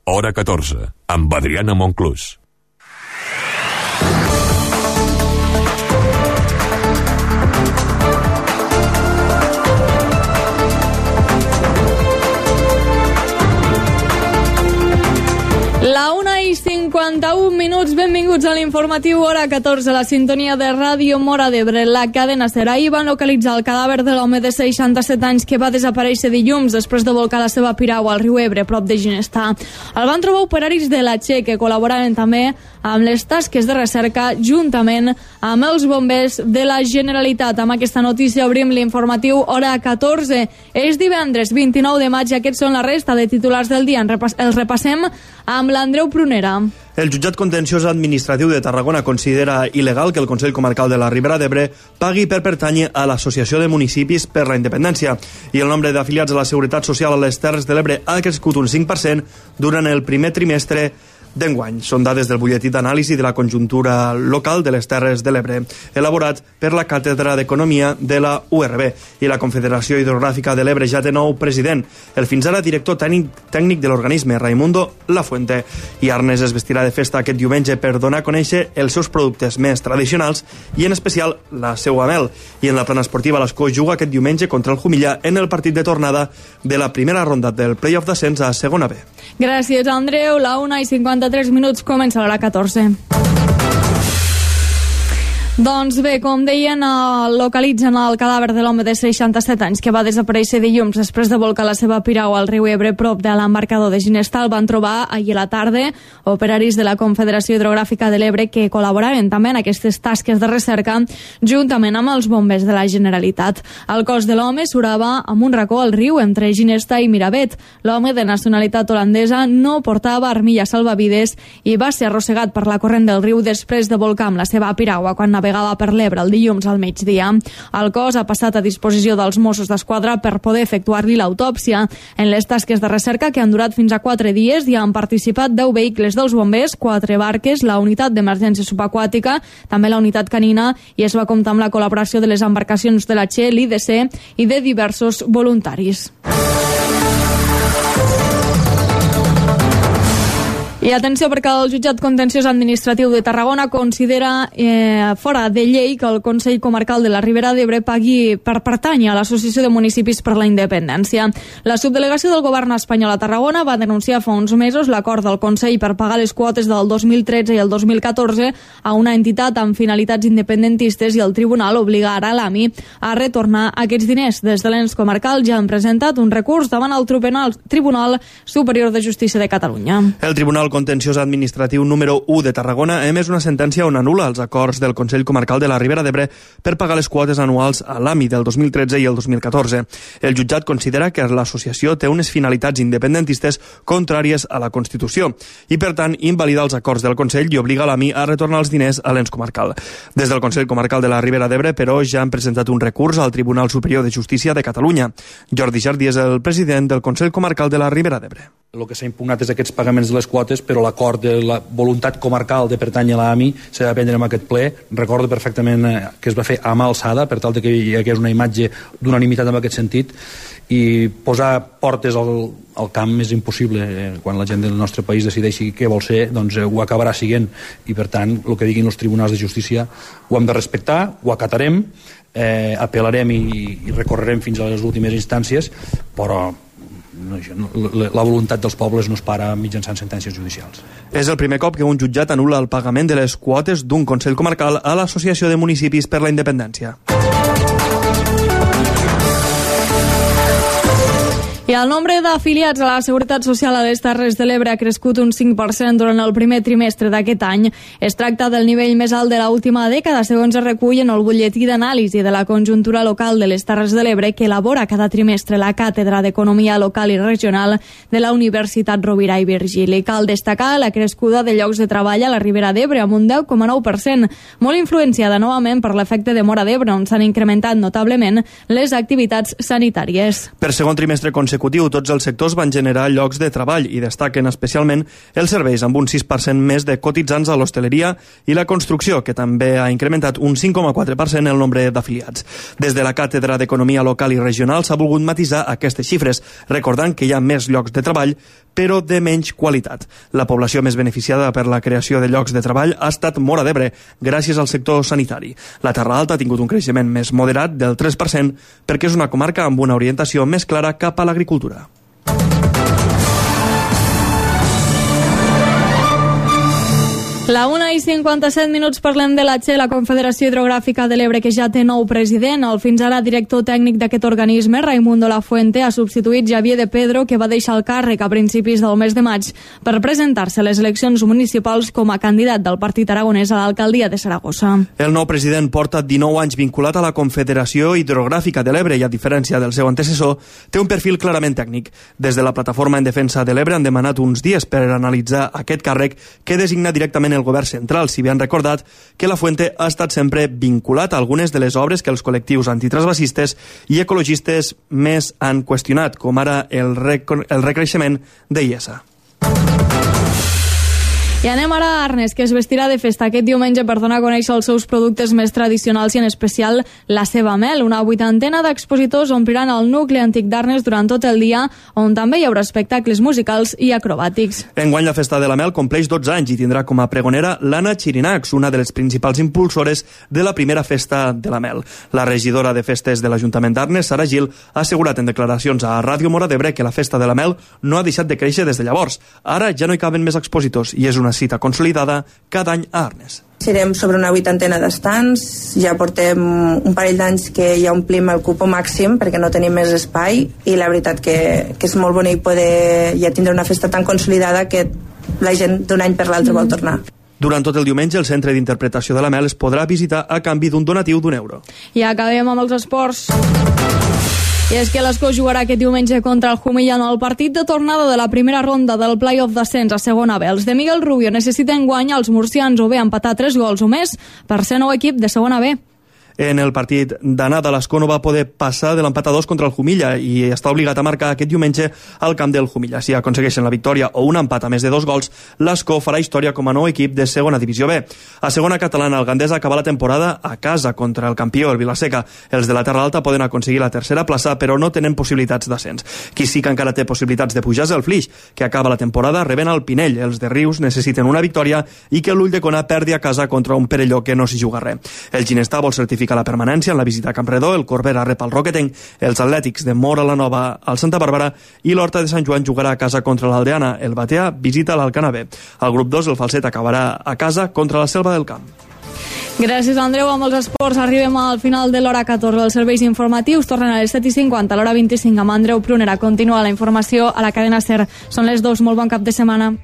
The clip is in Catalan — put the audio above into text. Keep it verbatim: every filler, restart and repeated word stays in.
hora catorze, amb Adriana Monclús. La una i cinquanta-un minuts, benvinguts a l'informatiu hora catorze, la sintonia de Ràdio Móra d'Ebre. La cadena SER. Ahir van localitzar el cadàver de l'home de seixanta-set anys que va desaparèixer dilluns després de volcar la seva piragua al riu Ebre, prop de Ginestar. El van trobar operaris de la Che que col·laboraven també amb les tasques de recerca juntament amb els bombers de la Generalitat. Amb aquesta notícia obrim l'informatiu hora catorze. És divendres vint-i-nou de maig i aquests són la resta de titulars del dia. Els repassem amb l'Andreu Prunera. El jutjat contenciós administratiu de Tarragona considera il·legal que el Consell Comarcal de la Ribera d'Ebre pagui per pertànyer a l'Associació de Municipis per la Independència i el nombre d'afiliats a la Seguretat Social a les Terres de l'Ebre ha crescut un cinc per cent durant el primer trimestre d'enguany. Són dades del butlletí d'anàlisi de la conjuntura local de les Terres de l'Ebre, elaborat per la Càtedra d'Economia de la U R B, i la Confederació Hidrogràfica de l'Ebre ja té nou president, el fins ara director tècnic de l'organisme, Raimundo Lafuente. I Arnes es vestirà de festa aquest diumenge per donar a conèixer els seus productes més tradicionals i en especial la seua mel. I en la plana esportiva l'Escó juga aquest diumenge contra el Jumilla en el partit de tornada de la primera ronda del play-off d'ascens a segona B. Gràcies, Andreu. La una i cinquanta-tres minuts, comença l'hora catorze. Doncs bé, com deien, localitzen el cadàver de l'home de seixanta-set anys que va desaparèixer dilluns després de volcar la seva piragua al riu Ebre prop de l'embarcador de Ginestar. El van trobar ahir a la tarda operaris de la Confederació Hidrogràfica de l'Ebre que col·laboraven també en aquestes tasques de recerca juntament amb els bombers de la Generalitat. El cos de l'home surava amb un racó al riu entre Ginestar i Miravet. L'home de nacionalitat holandesa no portava armilla salvavides i va ser arrossegat per la corrent del riu després de volcar amb la seva piragua quan navegava per l'Ebre el dilluns al migdia. El cos ha passat a disposició dels Mossos d'Esquadra per poder efectuar-li l'autòpsia. En les tasques de recerca, que han durat fins a quatre dies, hi han participat deu vehicles dels bombers, quatre barques, la unitat d'emergència subaquàtica, també la unitat canina, i es va comptar amb la col·laboració de les embarcacions de la Che, l'I D C i de diversos voluntaris. I atenció, perquè el jutjat contenciós administratiu de Tarragona considera eh, fora de llei que el Consell Comarcal de la Ribera d'Ebre pagui per pertànyer a l'Associació de Municipis per la Independència. La subdelegació del govern espanyol a Tarragona va denunciar fa uns mesos l'acord del Consell per pagar les quotes del dos mil tretze i el dos mil catorze a una entitat amb finalitats independentistes i el tribunal obliga ara a l'A M I a retornar aquests diners. Des de l'ens comarcal ja han presentat un recurs davant el Tribunal Superior de Justícia de Catalunya. El Tribunal Contenciós Administratiu número u de Tarragona ha emès una sentència on anul·la els acords del Consell Comarcal de la Ribera d'Ebre per pagar les quotes anuals a l'A M I del dos mil tretze i el dos mil catorze. El jutjat considera que l'associació té unes finalitats independentistes contràries a la Constitució i, per tant, invalida els acords del Consell i obliga l'A M I a retornar els diners a l'ens comarcal. Des del Consell Comarcal de la Ribera d'Ebre, però, ja han presentat un recurs al Tribunal Superior de Justícia de Catalunya. Jordi Jardí és el president del Consell Comarcal de la Ribera d'Ebre. El que s'ha impugnat és aquests pagaments de les quotes, però l'acord de la voluntat comarcal de pertànyer a l'A M I s'ha de prendre en aquest ple. Recordo perfectament que es va fer a mà alçada, per tal que hi hagués una imatge d'unanimitat en aquest sentit, i posar portes al, al camp és impossible. Quan la gent del nostre país decideixi què vol ser, doncs ho acabarà siguent, i per tant el que diguin els tribunals de justícia ho hem de respectar, ho acatarem, eh, apel·larem i, i recorrerem fins a les últimes instàncies, però No, no, la voluntat dels pobles no es para mitjançant sentències judicials. És el primer cop que un jutjat anul·la el pagament de les quotes d'un Consell Comarcal a l'Associació de Municipis per la Independència. I el nombre d'afiliats a la Seguretat Social a les Terres de l'Ebre ha crescut un cinc per cent durant el primer trimestre d'aquest any. Es tracta del nivell més alt de l'última dècada, segons es recull en el butlletí d'anàlisi de la conjuntura local de les Terres de l'Ebre que elabora cada trimestre la Càtedra d'Economia Local i Regional de la Universitat Rovira i Virgili. Cal destacar la crescuda de llocs de treball a la Ribera d'Ebre amb un deu coma nou per cent, molt influenciada novament per l'efecte de Móra d'Ebre, on s'han incrementat notablement les activitats sanitàries. Per segon trimestre consecutiu, tots els sectors van generar llocs de treball i destaquen especialment els serveis, amb un sis per cent més de cotitzants a l'hostaleria i la construcció, que també ha incrementat un cinc coma quatre per cent el nombre d'afiliats. Des de la Càtedra d'Economia Local i Regional s'ha volgut matisar aquestes xifres, recordant que hi ha més llocs de treball, però de menys qualitat. La població més beneficiada per la creació de llocs de treball ha estat Móra d'Ebre, gràcies al sector sanitari. La Terra Alta ha tingut un creixement més moderat del tres per cent perquè és una comarca amb una orientació més clara cap a l'agricultura. La una i cinquanta-set minuts parlem de la Che, la Confederació Hidrogràfica de l'Ebre, que ja té nou president. El fins ara director tècnic d'aquest organisme, Raimundo Lafuente, ha substituït Javier de Pedro, que va deixar el càrrec a principis del mes de maig per presentar-se a les eleccions municipals com a candidat del Partit Aragonès a l'alcaldia de Saragossa. El nou president porta dinou anys vinculat a la Confederació Hidrogràfica de l'Ebre i, a diferència del seu antecessor, té un perfil clarament tècnic. Des de la Plataforma en Defensa de l'Ebre han demanat uns dies per analitzar aquest càrrec que designa directament el govern central, si bé han recordat que Lafuente ha estat sempre vinculat a algunes de les obres que els col·lectius antitransvasistes i ecologistes més han qüestionat, com ara el, rec el recreixement de I E S A. I anem ara a Arnes, que es vestirà de festa aquest diumenge per donar a conèixer els seus productes més tradicionals i en especial la seva mel. Una vuitantena d'expositors ompliran el nucli antic d'Arnes durant tot el dia, on també hi haurà espectacles musicals i acrobàtics. Enguany la Festa de la Mel compleix dotze anys i tindrà com a pregonera l'Anna Xirinacs, una de les principals impulsores de la primera Festa de la Mel. La regidora de festes de l'Ajuntament d'Arnes, Sara Gil, ha assegurat en declaracions a Ràdio Móra d'Ebre que la Festa de la Mel no ha deixat de créixer des de llavors. Ara ja no hi caben més expositors i és una cita consolidada cada any a Arnes. Serem sobre una vuitantena d'estants, ja portem un parell d'anys que ja omplim el cupo màxim perquè no tenim més espai i la veritat que, que és molt bonic poder ja tindre una festa tan consolidada que la gent d'un any per l'altre mm. vol tornar. Durant tot el diumenge, el Centre d'Interpretació de la Mel es podrà visitar a canvi d'un donatiu d'un euro. I acabem amb els esports. I és que l'Escó jugarà aquest diumenge contra el Jumilla en el partit de tornada de la primera ronda del play-off d'ascens a segona B. Els de Miguel Rubio necessiten guanyar els murcians o bé empatar tres gols o més per ser nou equip de segona B. En el partit d'anada, l'Escó no va poder passar de l'empat a dos contra el Jumilla i està obligat a marcar aquest diumenge al camp del Jumilla. Si aconsegueixen la victòria o un empat a més de dos gols, l'Escó farà història com a nou equip de segona divisió B. A segona catalana, el Gandesa acaba la temporada a casa contra el campió, el Vilaseca. Els de la Terra Alta poden aconseguir la tercera plaça, però no tenen possibilitats d'ascens. Qui sí que encara té possibilitats de pujar és el Flix, que acaba la temporada rebent el Pinell. Els de Rius necessiten una victòria i que l'Ulldecona perdi a casa contra un Perelló que no s'hi juga res. El Ginestà vol certificar la permanència en la visita a Campredó, el Corbera rep el Roquetenc, els Atlètics de Móra la Nova al Santa Bàrbara i l'Horta de Sant Joan jugarà a casa contra l'Aldeana. El Batea visita l'Alcana B. Al grup dos, el Falset acabarà a casa contra la Selva del Camp. Gràcies, Andreu. Amb els esports arribem al final de l'hora catorze. Els serveis informatius tornen a les set i cinquanta, a l'hora vint-i-cinc amb Andreu Prunera. Continua la informació a la cadena SER. Són les dues. Molt bon cap de setmana.